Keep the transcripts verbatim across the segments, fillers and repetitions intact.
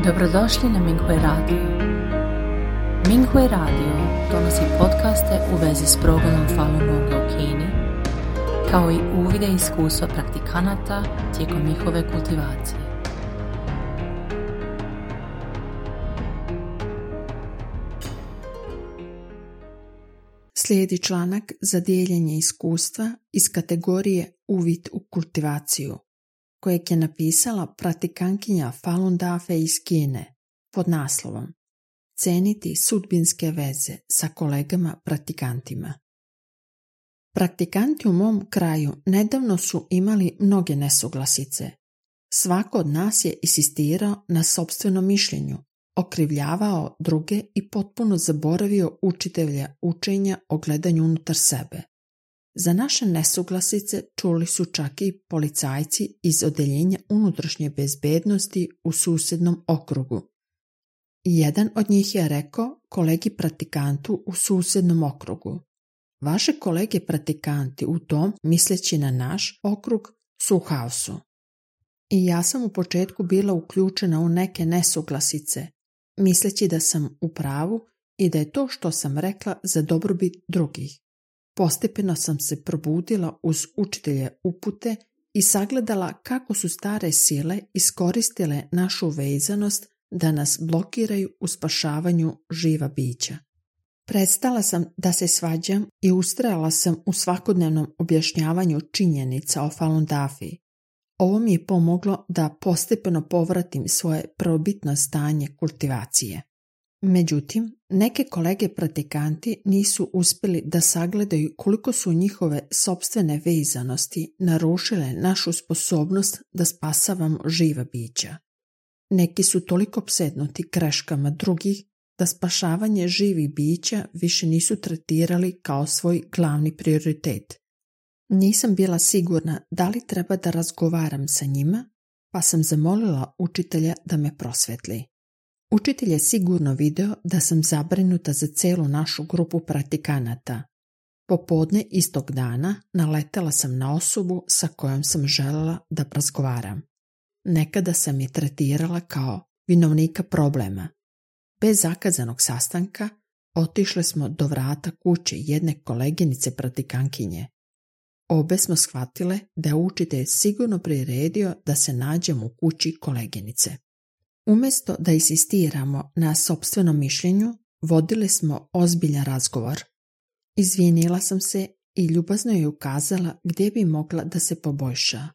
Dobrodošli na Minghui Radio. Minghui Radio donosi podcaste u vezi s progledom Falun Gonga u Kini, kao i uvide i iskustva praktikanata tijekom njihove kultivacije. Slijedi članak za dijeljenje iskustva iz kategorije Uvid u kultivaciju, kojeg je napisala praktikantkinja Falun Dafe iz Kine pod naslovom Ceniti sudbinske veze sa kolegama praktikantima. Praktikanti u mom kraju nedavno su imali mnoge nesuglasice. Svako od nas je insistirao na sopstvenom mišljenju, okrivljavao druge i potpuno zaboravio učitelja učenja o gledanju unutar sebe. Za naše nesuglasice čuli su čak i policajci iz odeljenja unutrašnje bezbednosti u susjednom okrugu. Jedan od njih je rekao kolegi praktikantu u susjednom okrugu: vaše kolege praktikanti u tom, misleći na naš okrug, su u haosu. I ja sam u početku bila uključena u neke nesuglasice, misleći da sam u pravu i da je to što sam rekla za dobrobit drugih. Postepeno sam se probudila uz učitelje upute i sagledala kako su stare sile iskoristile našu vezanost da nas blokiraju u spašavanju živa bića. Prestala sam da se svađam i ustrajala sam u svakodnevnom objašnjavanju činjenica o Falun Dafi. Ovo mi je pomoglo da postepeno povratim svoje prvobitno stanje kultivacije. Međutim, neke kolege praktikanti nisu uspjeli da sagledaju koliko su njihove sopstvene vezanosti narušile našu sposobnost da spasavamo živa bića. Neki su toliko opsednuti greškama drugih da spašavanje živih bića više nisu tretirali kao svoj glavni prioritet. Nisam bila sigurna da li treba da razgovaram sa njima, pa sam zamolila učitelja da me prosvetli. Učitelj je sigurno video da sam zabrinuta za celu našu grupu praktikanata. Popodne istog dana naletela sam na osobu sa kojom sam željela da razgovaram. Nekada sam je tretirala kao vinovnika problema. Bez zakazanog sastanka otišli smo do vrata kuće jedne koleginice praktikantkinje. Obe smo shvatile da je učitelj sigurno priredio da se nađemo u kući koleginice. Umjesto da insistiramo na sopstvenom mišljenju, vodili smo ozbiljan razgovor. Izvinila sam se i ljubazno je ukazala gdje bi mogla da se poboljša.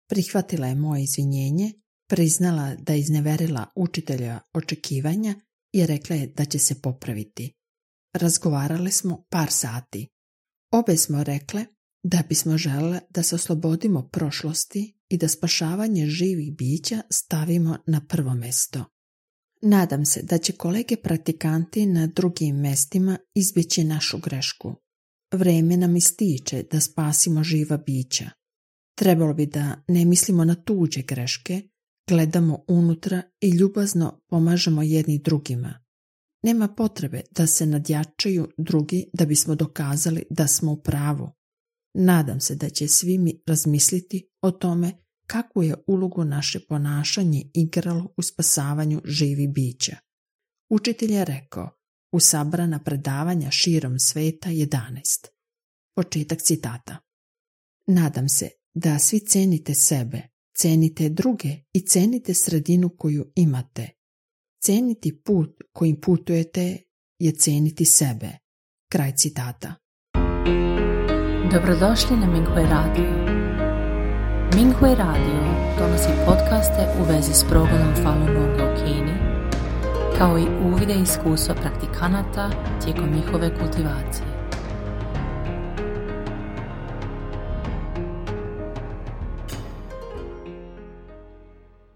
Prihvatila je moje izvinjenje, priznala da je izneverila učitelja očekivanja i rekla je da će se popraviti. Razgovarali smo par sati. Obe smo rekle da bismo želele da se oslobodimo prošlosti i da spašavanje živih bića stavimo na prvo mjesto. Nadam se da će kolege praktikanti na drugim mjestima izbjeći našu grešku. Vrijeme nam ističe da spasimo živa bića. Trebalo bi da ne mislimo na tuđe greške, gledamo unutra i ljubazno pomažemo jedni drugima. Nema potrebe da se nadjačaju drugi da bismo dokazali da smo u pravu. Nadam se da će svi mi razmisliti o tome kakvu je ulogu naše ponašanje igralo u spasavanju živih bića. Učitelj je rekao u sabrana predavanja širom sveta jedanaest. Početak citata. Nadam se da svi cenite sebe, cenite druge i cenite sredinu koju imate. Ceniti put kojim putujete je ceniti sebe. Kraj citata. Dobrodošli na Minghui Radio. Minghui Radio donosi podcaste u vezi s progledom Falun Gonga u Kini, kao i uvide i iskustva praktikanata tijekom njihove kultivacije.